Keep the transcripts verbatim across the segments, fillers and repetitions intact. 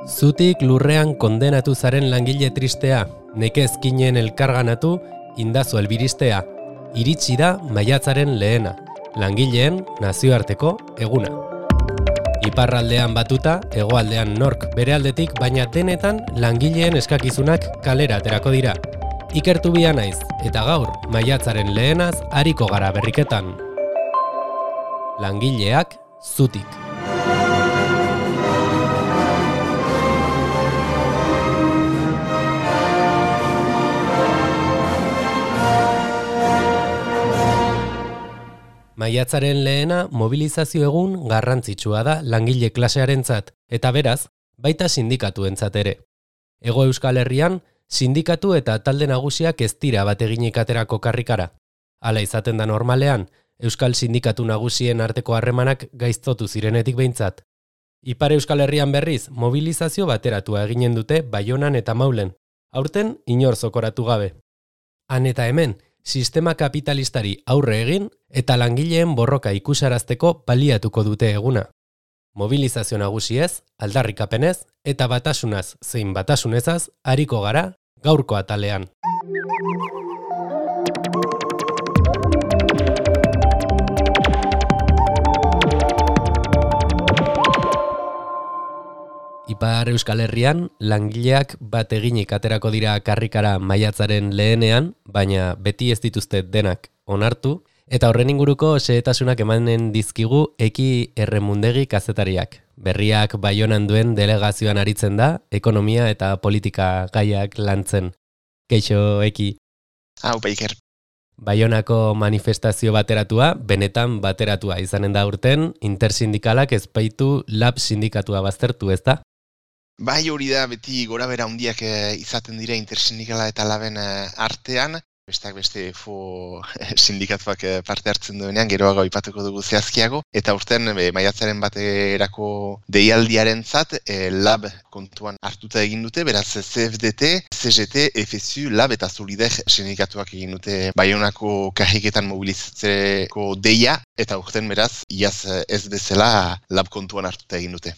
Zutik lurrean kondenatu zaren langile tristea, nekezkinen elkarganatu, indazu elbiristea. Iritsi da maiatzaren lehena, langileen nazioarteko eguna. Iparraldean batuta, hegoaldean nork bere aldetik, baina denetan langileen eskakizunak kalera aterako dira. Ikertu bia naiz, eta gaur maiatzaren lehenaz ariko gara berriketan. Langileak zutik. Maiatzaren lehena mobilizazio egun garrantzitsua da langile klasearentzat, eta beraz, baita sindikatuentzat ere. Hego Euskal Herrian, sindikatu eta talde nagusiak ez dira bateginik aterako karrikara. Hala izaten da normalean, Euskal Sindikatu nagusien arteko harremanak gaiztotu zirenetik behintzat. Ipar Euskal Herrian berriz, mobilizazio bateratua eginen dute Baionan eta Maulen, aurten inor zokoratu gabe. Han eta hemen, sistema kapitalistari aurre egin eta langileen borroka ikusarazteko baliatuko dute eguna. Mobilizazio nagusiez, aldarrikapenez eta batasunaz zein batasunezaz ariko gara gaurko atalean. Ipar Euskal Herrian, langileak bat eginik aterako dira karrikara maiatzaren lehenean, baina beti ez dituzte denak onartu, eta horren inguruko xehetasunak emanen dizkigu Eki Erremundegi kazetariak. Berriak Baionan duen delegazioan aritzen da, ekonomia eta politika gaiak lantzen. Keixo, Eki. Hau, Baiker. Baionako manifestazio bateratua, benetan bateratua izanen da urten, intersindikalak ez baitu lab sindikatua baztertu, ez da? Bai, hori da, beti gora bera handiak e, izaten dira intersindikala eta laben e, artean. Besteak beste fo sindikatuak e, parte hartzen duenean, geroago aipatuko dugu zehazkiago. Eta urten e, maiatzaren baterako deialdiarentzat e, lab kontuan hartuta egin dute, beraz C F D T, C G T, F S U, lab eta Solidaire sindikatuak egin dute Baionako karriketan mobilizatzeko deia, eta urten beraz, iaz ez bezala lab kontuan hartuta egin dute.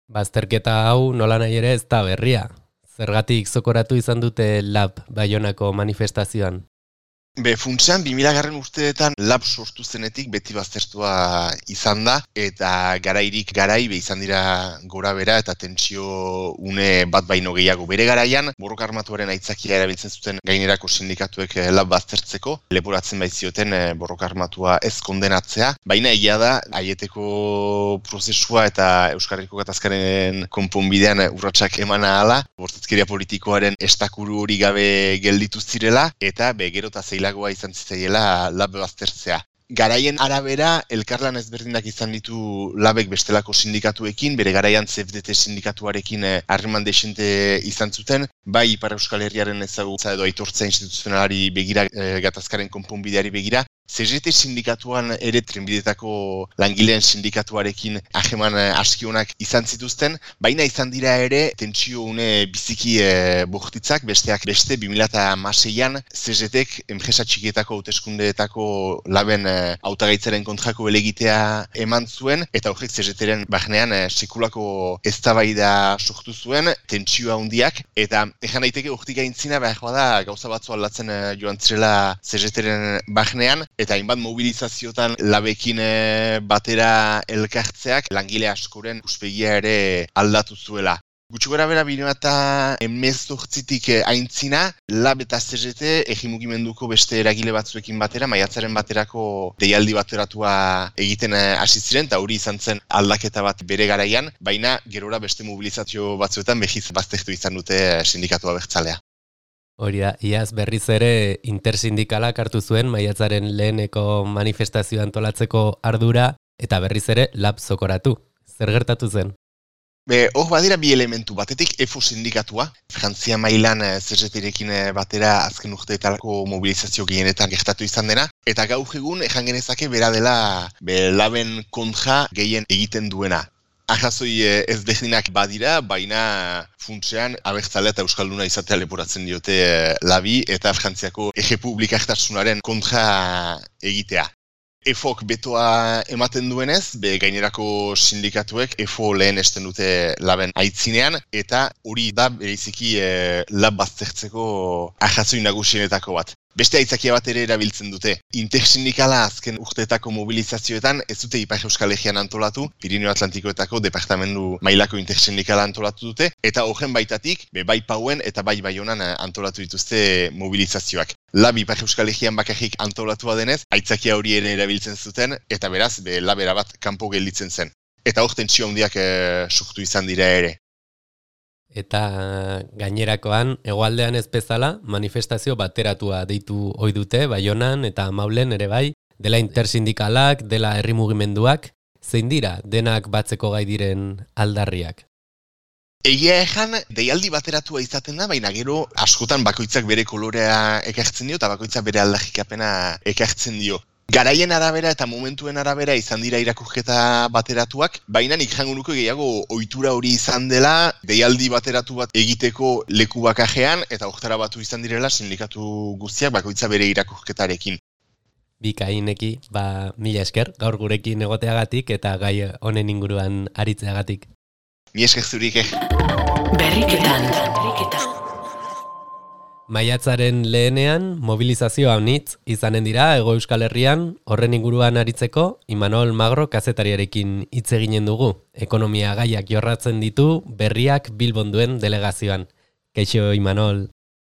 Bazterketa hau nola nahi ere ez da berria. Zergatik zokoratu izan dute lab Baionako manifestazioan? Be, funtsean, bi mila garren urteetan lab sortu zenetik beti baztertua izan da, eta garairik garai be izan dira gora bera eta tentsio une bat baino gehiago. Bere garaian, borroka armatuaren aitzakia erabiltzen zuten gainerako sindikatuek lab baztertzeko, leporatzen baitzioten borroka armatua ez kondenatzea, baina egia da, aieteko prozesua eta Euskarriko gatazkaren konponbidean urratsak emana ahala, bortzatzkeria politikoaren estakuru hori gabe gelditu zirela, eta be, gero eta zeila lagoa izan zitzaiela lab baztertzea. Garaien arabera, elkarlan ezberdinak izan ditu labek bestelako sindikatuekin, bere garaian C F D T sindikatuarekin harreman desente izan zuten, bai Ipar Euskal Herriaren ezagutza edo aitortza instituzionalari begira, e, gatazkaren konponbideari begira, C G T sindikatuan ere trenbidetako langileen sindikatuarekin hageman askionak izan zituzten, baina izan dira ere tentsio une biziki e, bortitzak, besteak beste bi mila hamaseian C G Tek enpresa txikietako hauteskundeetako laben e, hautagaitzaren kontrako helegitea eman zuen, eta horrek C G Teren barnean e, sekulako eztabaida sortu zuen, tentsioa handiak, eta ejan daiteke urtik aintzina behar bada gauza batzu aldatzen e, joan zirela C G Teren barnean, eta hainbat mobilizaziotan labekin batera elkartzeak langile askoren uspegia ere aldatu zuela. Gutxi gora bera bi mila hemezortzitik aintzina, lab eta C G T egi mugimenduko beste eragile batzuekin batera, maiatzaren baterako deialdi bateratua egiten hasi ziren, eta hori izan zen aldaketa bat bere garaian, baina gerora beste mobilizazio batzuetan behiz baztertu izan dute sindikatua abertzalea. Hori da, iaz berriz ere intersindikalak hartu zuen maiatzaren leheneko manifestazioa antolatzeko ardura eta berriz ere lab zokoratu. Zer gertatu zen? Be, hor badira bi elementu, batetik E F O sindikatua, Frantzia mailan C G T-rekin batera azken urteetarako mobilizazio gehienetan gertatu izan dena, eta gaur egun ejan genezake bera dela be, laben kontra gehien egiten duena. Arrazoi ezberdinak badira, baina funtsean abertzalea eta euskalduna izatea leporatzen diote labi eta Frantziako errepublikartasunaren kontra egitea. E F O K betoa ematen duenez, be gainerako sindikatuek E F O lehen esten dute laben aitzinean, eta hori da bereziki e, lab baztertzeko ahazoi nagusienetako bat. Beste aitzakia bat ere erabiltzen dute. Intersindikala azken urteetako mobilizazioetan ez dute Ipar Euskal Herrian antolatu, Pirineo Atlantikoetako departamendu mailako intersindikala antolatu dute, eta horren baitatik, be, bai Pauen eta bai Baionan antolatu dituzte mobilizazioak. Lab Ipar Euskal Herrian bakarrik antolatua denez, aitzakia hori ere erabiltzen zuten, eta beraz, be, labera bat kanpo gelditzen zen. Eta hor tentsio handiak e, sortu izan dira ere. Eta gainerakoan, hegoaldean ez bezala, manifestazio bateratua deitu ohi dute, Baionan eta Maulen ere bai, dela intersindikalak, dela herri mugimenduak, zein dira denak batzeko gai diren aldarriak? Egia ejan, deialdi bateratua izaten da, baina gero askotan bakoitzak bere kolorea ekartzen dio, eta bakoitzak bere aldarrikapena ekartzen dio. Garaien arabera eta momentuen arabera izan dira irakurketa bateratuak, baina nik jango nuke gehiago ohitura hori izan dela, deialdi bateratu bat egiteko leku bakajean, eta hortara batu izan direla sindikatu guztiak bakoitza bere irakurketarekin. Bikaineki, ba, mila esker, gaur gurekin egoteagatik eta gai honen inguruan aritzeagatik. Mi esker zurik, eh? Berriketan, berriketan. Maiatzaren lehenean, mobilizazio haunitz izanen dira Hego Euskal Herrian, horren inguruan aritzeko, Imanol Magro kazetariarekin hitz eginen dugu. Ekonomia gaiak jorratzen ditu berriak Bilbon duen delegazioan. Kaixo, Imanol.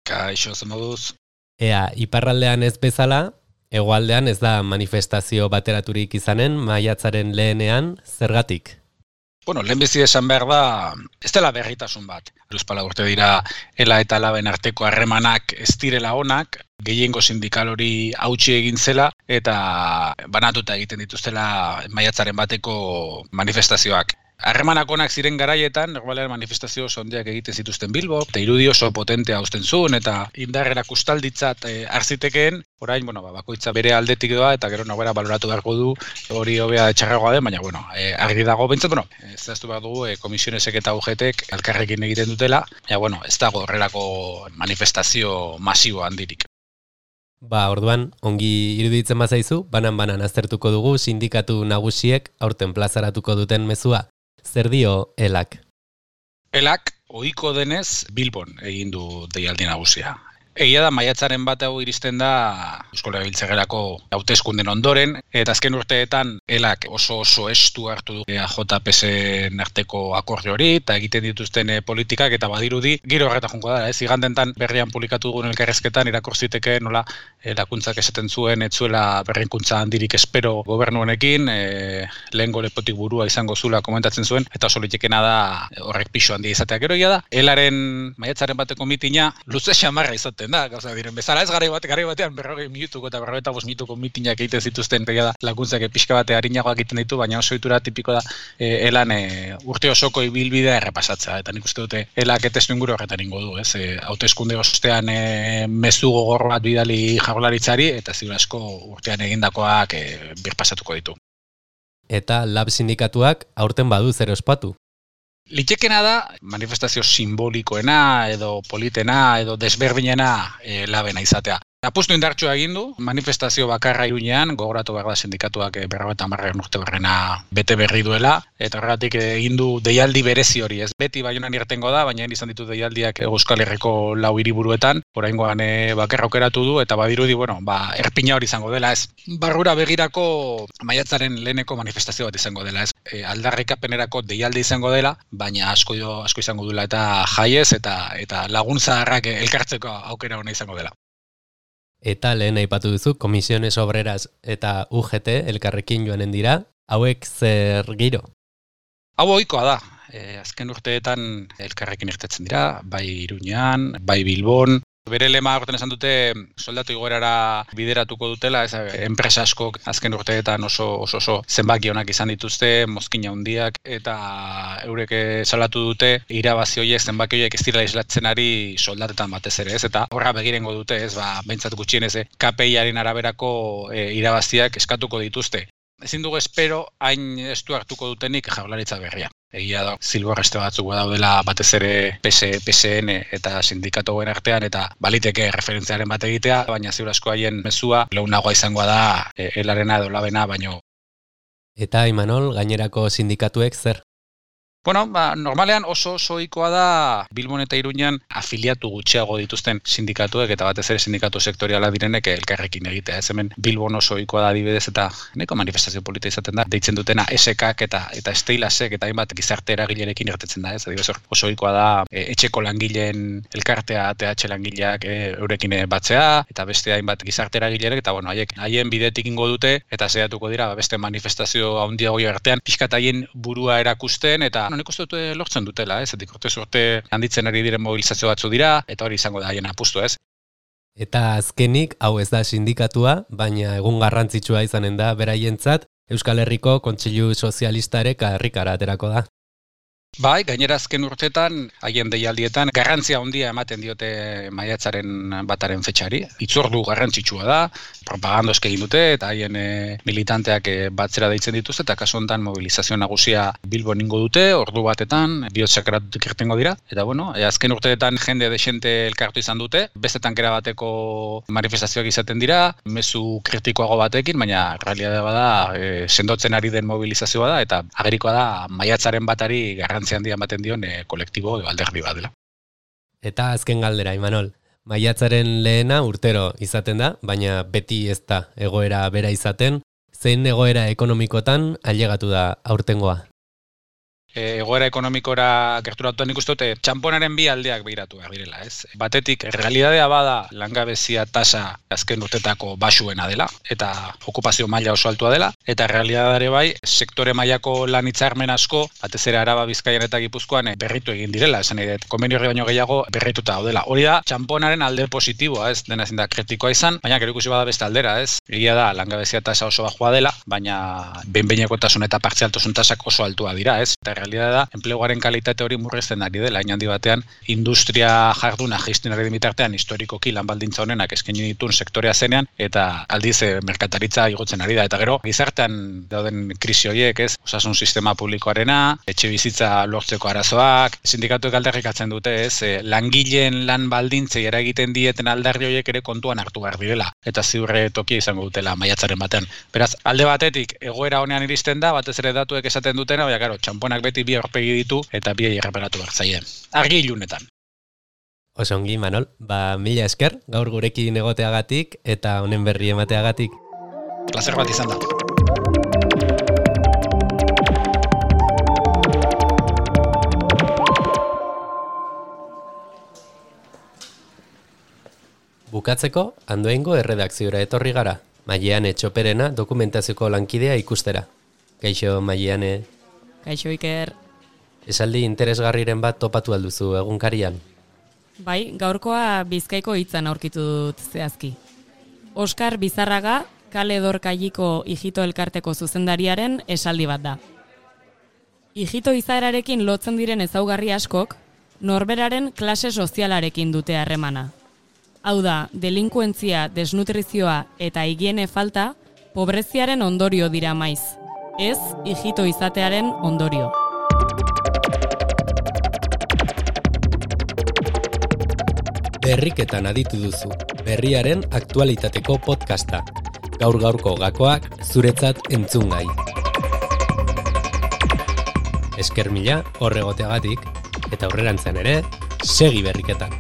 Kaixo, zemoduz. Ea, iparraldean ez bezala, hegoaldean ez da manifestazio bateraturik izanen, maiatzaren lehenean, zergatik? Bueno, lehenbizi esan behar da, ez dela berritasun bat. Hiruzpalau urte dira ela eta laben arteko harremanak ez direla onak, gehiengo sindikal hori hautsi egin zela, eta banatuta egiten dituztela maiatzaren bateko manifestazioak. Harremanak onak ziren garaietan, normalean manifestazio oso handiak egiten zituzten Bilbo, eta irudi oso potentea uzten zuen, eta indarrera kustalditzat e, arzitekeen, orain, bueno, bakoitza bere aldetik doa, eta gero nobera baloratu beharko du, hori hobea txarragoa den, baina, bueno, e, argi dago bentsat, bueno, ez zehaztu behar dugu, e, komisionesek eta U G Tek elkarrekin egiten dutela, ja, bueno, ez dago horrelako manifestazio masibo handirik. Ba, orduan, ongi iruditzen bazaizu, banan-banan aztertuko dugu sindikatu nagusiek aurten plazaratuko duten mezua. Zer dio elak? Elak, ohiko denez, Bilbon egin du deialdi nagusia. Egia da, maiatzaren bat hau iristen da Eusko Legebiltzarrerako hauteskunden ondoren, eta azken urteetan elak oso oso estu hartu du A J P S-en arteko akordio hori, eta egiten dituzten e, politikak, eta badirudi, giro horreta junko da, ez igandentan berrian publikatu dugun elkarrezketan irakur ziteke nola e, lakuntzak esaten zuen, etzuela berrikuntza handirik espero gobernu honekin, e, lehengo lepotik burua izango zula komentatzen zuen, eta oso litekena da horrek pixo handia izatea. Gero ia da, elaren maiatzaren bateko mitina luze xamarra izaten da, gauza diren bezala, ez garai bat, garai batean berrogei minutuko eta berrogeita bost minutuko mitinak egiten zituzten, da laguntzak pixka bate harinagoak egiten ditu, baina oso itura tipiko da e, elan e, urte osoko ibilbidea errepasatzea, eta nik uste dute elak testu inguru horretan ingo du, ez, e, hauteskunde ostean e, mezu gogor bat bidali jaurlaritzari, eta ziur asko urtean egindakoak e, birpasatuko ditu. Eta lab sindikatuak aurten badu zer ospatu. Litekena da, manifestazio simbolikoena, edo politena, edo desberdinena e, labena izatea. Apustu indartsua egin du, manifestazio bakarra Iruñean, gogoratu behar da sindikatuak berrogeita hamargarren urte barrena bete berri duela, eta horregatik egin du deialdi berezi hori, ez beti Baionan irtengo da, baina izan ditu deialdiak Euskal Herriko lau hiriburuetan, oraingoan e, bakarra aukeratu du, eta badirudi, bueno, ba, erpina hori izango dela, ez. Barrura begirako maiatzaren leheneko manifestazio bat izango dela, ez. E, aldarrikapenerako deialdi izango dela, baina asko, asko izango dela eta jaiez, eta, eta laguntzaharrak elkartzeko aukera hona izango dela. Eta lehen aipatu duzu, Komisiones Obreras eta U G T elkarrekin joanen dira, hauek zer giro? Hau ohikoa da, e, azken urteetan elkarrekin irtetzen dira, bai Iruñean, bai Bilbon. Bere lema horten esan dute soldatu igoerara bideratuko dutela, ez, enpresa askok azken urteetan oso oso, oso zenbaki onak izan dituzte, mozkina handiak, eta eurek salatu dute irabazi horiek zenbaki horiek ez direla islatzen ari soldatetan batez ere, ez, eta horra begirengo dute, ez, ba, behintzat gutxienez K P I-aren araberako e, irabaziak eskatuko dituzte. Ezin dugu espero hain estu hartuko dutenik jaurlaritza berria. Egia da, zilborreste batzuk daudela batez ere P S, P S N eta sindikatuen artean eta baliteke referentziaren bat egitea, baina ziur asko haien mezua leunagoa izangoa da e, elarena edo labena baino. Eta Imanol, gainerako sindikatuek zer? Bueno, ba, normalean oso oso ohikoa da Bilbon eta Iruñan afiliatu gutxiago dituzten sindikatuek eta batez ere sindikatu sektoriala direnek elkarrekin egitea. Ez hemen Bilbon oso ohikoa da adibidez eta nahiko manifestazio polita izaten da. Deitzen dutena S K eta eta Steilasek eta hainbat gizarte eragilerekin irtetzen da, ez? Adibidez oso ohikoa da e, etxeko langileen elkartea T H langileak e, eurekin batzea eta beste hainbat gizarte eragileek eta bueno, haiek haien bidetik ingo dute eta saiatuko dira ba, beste manifestazio handiago artean pixkat haien burua erakusten eta nik uste dute lortzen dutela, ez? Etik urtez urte handitzen ari diren mobilizazio batzu dira, eta hori izango da haien apustu, ez? Eta azkenik, hau ez da sindikatua, baina egun garrantzitsua izanen da beraientzat, Euskal Herriko Kontseilu Sozialista ere karrikara aterako da. Bai, gainera azken urteetan, haien deialdietan, garrantzia handia ematen diote maiatzaren bataren fetxari. Itzordu garrantzitsua da, propaganda egin dute, eta haien e, militanteak e, batzera deitzen dituzte, eta kasu honetan mobilizazio nagusia Bilbon ingo dute, ordu batetan, bihotzakaratutik irtengo dira. Eta bueno, e, azken urteetan jende desente elkartu izan dute, bestetan kera bateko manifestazioak izaten dira, mezu kritikoago batekin, baina realitatea bada e, sendotzen ari den mobilizazioa da, eta agerikoa da maiatzaren batari garrantzia handia ematen dion e, kolektibo edo alderdi bat dela. Eta azken galdera, Imanol, maiatzaren lehena urtero izaten da, baina beti ez da egoera bera izaten, zein egoera ekonomikotan ailegatu da aurtengoa? Egoera ekonomikora gerturatuan ikusten dute txanponaren bi aldeak behiratu behar direla, ez? Batetik, realitatea bada langabezia tasa azken urtetako basuena dela, eta okupazio maila oso altua dela, eta realitatea bai, sektore mailako lan hitzarmen asko, batez ere Araba, Bizkaian eta Gipuzkoan berritu egin direla, esan nahi dut, konbenio horri baino gehiago berrituta daudela. Hori da, txanponaren alde positiboa, ez? Dena ezin da kritikoa izan, baina gero ikusi bada beste aldera, ez? Egia da, langabezia tasa oso bajua dela, baina behin-behinekotasun eta partzialtasun tasak oso altua dira, ez? Eta realitatea da, enpleguaren kalitate hori murrizten ari dela, hain handi batean, industria jarduna jaisten ari dimitartean historikoki lan baldintza honenak eskaini dituen sektorea zenean, eta aldiz e, merkataritza igotzen ari da. Eta gero, gizartean dauden krisi horiek, ez, osasun sistema publikoarena, etxe bizitza lortzeko arazoak, sindikatuek aldarrikatzen dute, ez, e, langileen lan baldintzei eragiten dieten aldarri horiek ere kontuan hartu behar direla, eta ziurre tokia izango dutela maiatzaren batean. Beraz, alde batetik, egoera honean iristen da, batez ere datuek esaten dutena, baina, karo, txamponak beti bi aurpegi ditu eta biei erreparatu behar zaie. Argi ilunetan. Oso ongi, Manol, ba mila esker gaur gurekin egoteagatik eta honen berri emateagatik. Plazer bat izan da. Bukatzeko, Andoaingo erredakziora etorri gara, Maileane Txoperena dokumentazioko lankidea ikustera. Kaixo, Maileane. Kaixo, Iker. Esaldi interesgarriren bat topatu alduzu egunkarian? Bai, gaurkoa Bizkaiko hitzan aurkitu dut zehazki. Oskar Bizarraga, Kale Dorkailiko Ijito Elkarteko zuzendariaren esaldi bat da. Ijito izaerarekin lotzen diren ezaugarri askok, norberaren klase sozialarekin dute harremana. Hau da, delinkuentzia, desnutrizioa eta higiene falta, pobreziaren ondorio dira maiz. Ez, ijito izatearen ondorio. Berriketan aditu duzu, berriaren aktualitateko podcasta. Gaur-gaurko gakoak zuretzat entzungai. Esker mila horregoteagatik, eta aurrerantzen ere, segi berriketan.